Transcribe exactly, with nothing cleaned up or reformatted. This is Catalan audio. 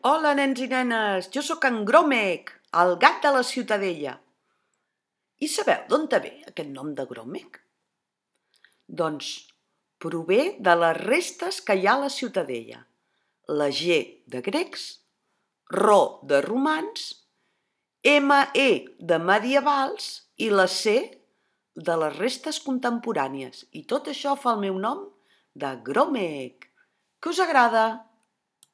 Hola, nens i nenes, jo sóc en Gromec, el gat de la Ciutadella. I sabeu d'on ve aquest nom de Gromec? Doncs prové de les restes que hi ha a la Ciutadella. La G de grecs, Ro de romans, M E de medievals i la C de les restes contemporànies. I tot això fa el meu nom de Gromec. Que us agrada?